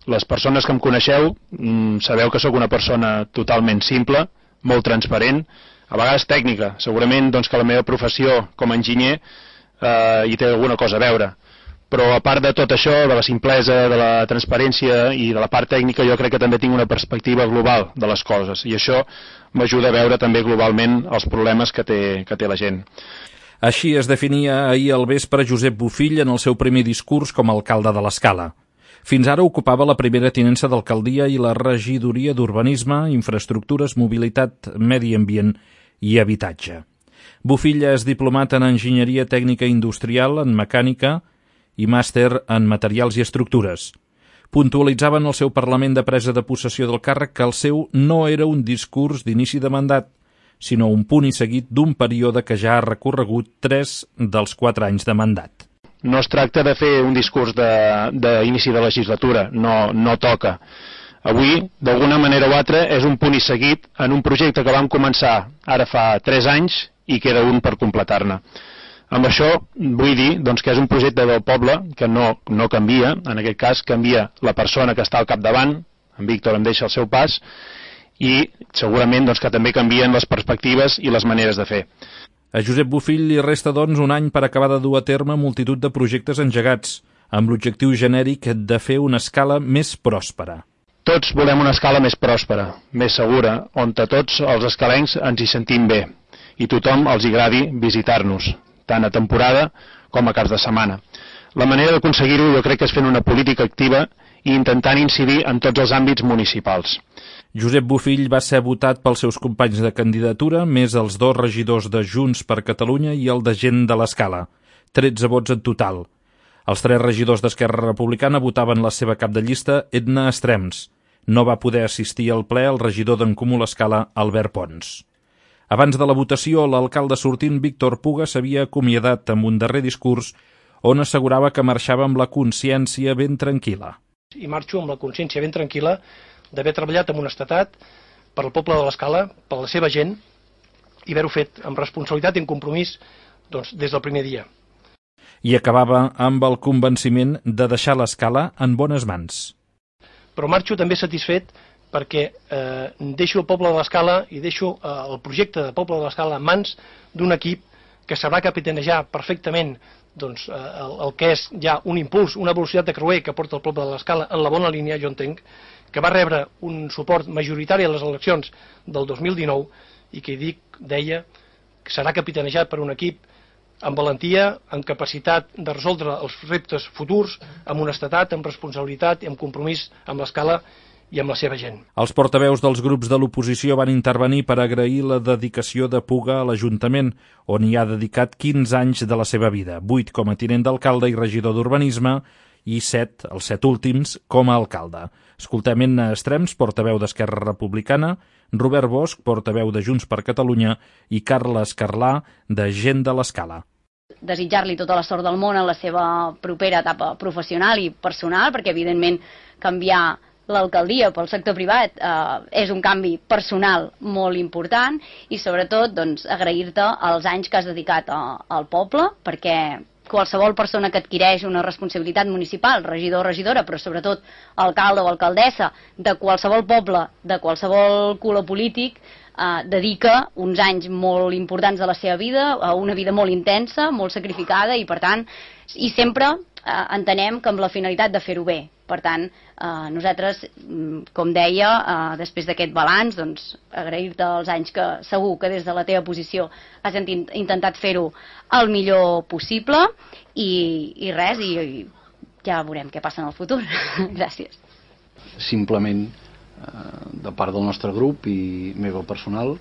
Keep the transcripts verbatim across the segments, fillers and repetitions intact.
Les persones que em coneixeu sabeu que sóc una persona totalment simple, molt transparent, a vegades tècnica. Segurament doncs, que la meva professió com a enginyer eh, hi té alguna cosa a veure. Però a part de tot això, de la simplesa, de la transparència i de la part tècnica, jo crec que també tinc una perspectiva global de les coses. I això m'ajuda a veure també globalment els problemes que té, que té la gent. Així es definia ahir al vespre Josep Bofill en el seu primer discurs com a alcalde de l'Escala. Fins ara ocupava la primera tinença d'alcaldia i la regidoria d'Urbanisme, Infraestructures, Mobilitat, Medi Ambient i Habitatge. Bofill és diplomat en Enginyeria Tècnica Industrial, en Mecànica i màster en Materials i Estructures. Puntualitzava en el seu Parlament de presa de possessió del càrrec que el seu no era un discurs d'inici de mandat, sinó un punt i seguit d'un període que ja ha recorregut tres dels quatre anys de mandat. No es tracta de fer un discurs d'inici de, de legislatura, no, no toca. Avui, d'alguna manera o altra, és un punt i seguit en un projecte que vam començar ara fa tres anys i queda un per completar-ne. Amb això vull dir doncs, que és un projecte del poble que no, no canvia, en aquest cas canvia la persona que està al capdavant, en Víctor em deixa el seu pas, i segurament doncs, que també canvien les perspectives i les maneres de fer. A Josep Bofill li resta, doncs, un any per acabar de dur a terme multitud de projectes engegats, amb l'objectiu genèric de fer una escala més pròspera. Tots volem una escala més pròspera, més segura, on a tots els escalencs ens hi sentim bé i tothom els agradi visitar-nos, tant a temporada com a caps de setmana. La manera d'aconseguir-ho jo crec que és fent una política activa i intentant incidir en tots els àmbits municipals. Josep Bofill va ser votat pels seus companys de candidatura, més els dos regidors de Junts per Catalunya i el de Gent de l'Escala, tretze vots en total. Els tres regidors d'Esquerra Republicana votaven la seva cap de llista, Edna Estrems. No va poder assistir al ple el regidor d'en Comú l'Escala, Albert Pons. Abans de la votació, l'alcalde sortint, Víctor Puga, s'havia acomiadat amb un darrer discurs on assegurava que marxava amb la consciència ben tranquil·la. I marxo amb la consciència ben tranquil·la d'haver treballat amb honestedat per al poble de l'Escala, per la seva gent, i haver-ho fet amb responsabilitat i en compromís doncs, des del primer dia. I acabava amb el convenciment de deixar l'Escala en bones mans. Però marxo també satisfet perquè eh, deixo el poble de l'Escala i deixo eh, el projecte de poble de l'Escala en mans d'un equip que sabrà capitanejar perfectament doncs, eh, el, el que és ja un impuls, una velocitat de creuer que porta el poble de l'Escala en la bona línia, jo entenc, que va rebre un suport majoritari a les eleccions del dos mil dinou i que dic, deia, que serà capitanejat per un equip amb valentia, amb capacitat de resoldre els reptes futurs, amb honestedat, amb responsabilitat i amb compromís amb l'Escala i amb la seva gent. Els portaveus dels grups de l'oposició van intervenir per agrair la dedicació de Puga a l'Ajuntament, on hi ha dedicat quinze anys de la seva vida, vuit com a tinent d'alcalde i regidor d'Urbanisme i set, els set últims, com a alcalde. Escoltem Edna Estrems, portaveu d'Esquerra Republicana, Robert Bosch, portaveu de Junts per Catalunya i Carles Carlà, de Gent de l'Escala. Desitjar-li tota la sort del món en la seva propera etapa professional i personal, perquè evidentment canviar l'alcaldia pel sector privat eh, és un canvi personal molt important i sobretot doncs, agrair-te els anys que has dedicat a, al poble, perquè qualsevol persona que adquireix una responsabilitat municipal, regidor o regidora, però sobretot alcalde o alcaldessa de qualsevol poble, de qualsevol color polític, eh, dedica uns anys molt importants de la seva vida, a una vida molt intensa, molt sacrificada i per tant, i sempre eh, entenem que amb la finalitat de fer-ho bé. Per tant, eh, nosaltres, com deia, eh, després d'aquest balanç, doncs, agrair-te els anys que segur que des de la teva posició has intentat fer-ho el millor possible i, i res, i, i ja veurem què passa en el futur. Gràcies. Simplement, eh, de part del nostre grup i meva personal,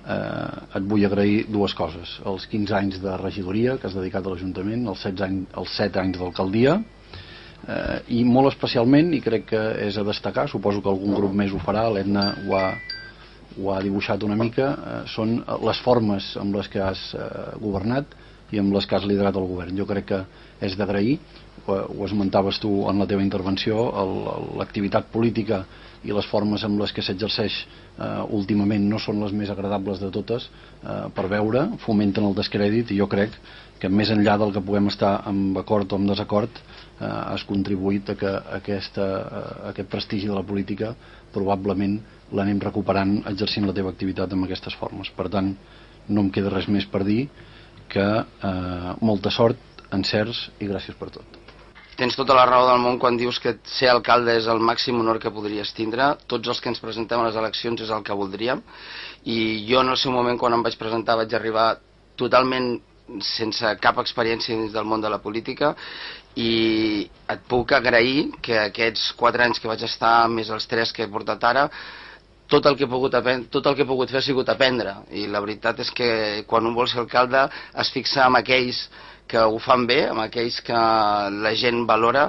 eh, et vull agrair dues coses. Els quinze anys de regidoria que has dedicat a l'Ajuntament, els set anys, els set anys d'alcaldia, Eh, i molt especialment, i crec que és a destacar, suposo que algun grup més ho farà, l'Edna ho, ho ha dibuixat una mica, eh, són les formes amb les que has eh, governat i amb les que has liderat el govern. Jo crec que és d'agrair, ho, ho esmentaves tu en la teva intervenció, l'activitat política i les formes amb les que s'exerceix eh, últimament no són les més agradables de totes eh, per veure, fomenten el descrèdit, i jo crec que més enllà del que puguem estar amb acord o amb desacord eh, has contribuït a que aquesta, eh, aquest prestigi de la política probablement l'anem recuperant exercint la teva activitat amb aquestes formes. Per tant, no em queda res més per dir que eh, molta sort, encerts i gràcies per tot. Tens tota la raó del món quan dius que ser alcalde és el màxim honor que podries tindre. Tots els que ens presentem a les eleccions és el que voldríem, i jo en el seu moment, quan em vaig presentar, vaig arribar totalment sense cap experiència dins del món de la política, i et puc agrair que aquests quatre anys que vaig estar, més els tres que he portat ara, tot el que he pogut aprendre, tot el que he pogut fer ha sigut aprendre, i la veritat és que quan un vol ser alcalde es fixa en aquells que ho fan bé, amb aquells que la gent valora,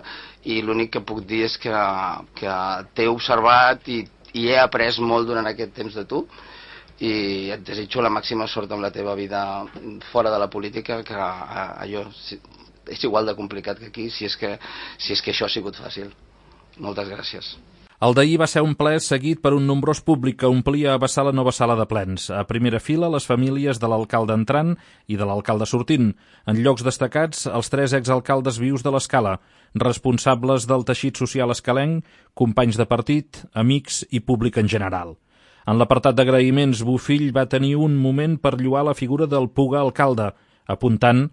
i l'únic que puc dir és que, que t'he observat i, i he après molt durant aquest temps de tu, i et desitjo la màxima sort amb la teva vida fora de la política, que allò és igual de complicat que aquí, si és que, si és que això ha sigut fàcil. Moltes gràcies. El d'ahir va ser un ple seguit per un nombrós públic que omplia a vessar la nova sala de plens. A primera fila, les famílies de l'alcalde entrant i de l'alcalde sortint. En llocs destacats, els tres exalcaldes vius de l'Escala, responsables del teixit social escalenc, companys de partit, amics i públic en general. En l'apartat d'agraïments, Bofill va tenir un moment per lloar la figura del Puga alcalde, apuntant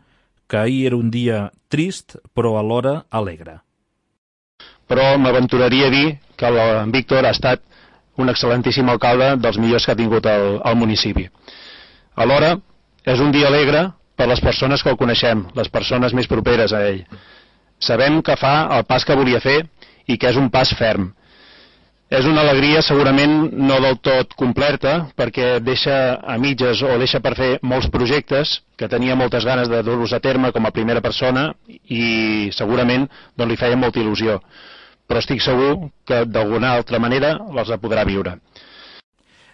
que ahir era un dia trist, però alhora alegre. Però m'aventuraria a dir que el Víctor ha estat un excel·lentíssim alcalde, dels millors que ha tingut el, el municipi. Alhora, és un dia alegre per les persones que el coneixem, les persones més properes a ell. Sabem que fa el pas que volia fer i que és un pas ferm. És una alegria segurament no del tot completa, perquè deixa a mitges o deixa per fer molts projectes que tenia moltes ganes de dur-los a terme com a primera persona, i segurament doncs, li feia molta il·lusió. Però estic segur que d'alguna altra manera els podrà viure.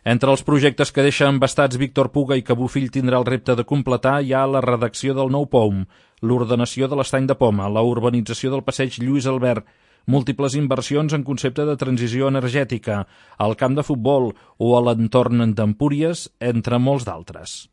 Entre els projectes que deixa embastats Víctor Puga i que Bofill tindrà el repte de completar hi ha la redacció del nou P O M, l'ordenació de l'estany de Poma, la urbanització del passeig Lluís Albert, múltiples inversions en concepte de transició energètica, el camp de futbol o a l'entorn d'Empúries, entre molts d'altres.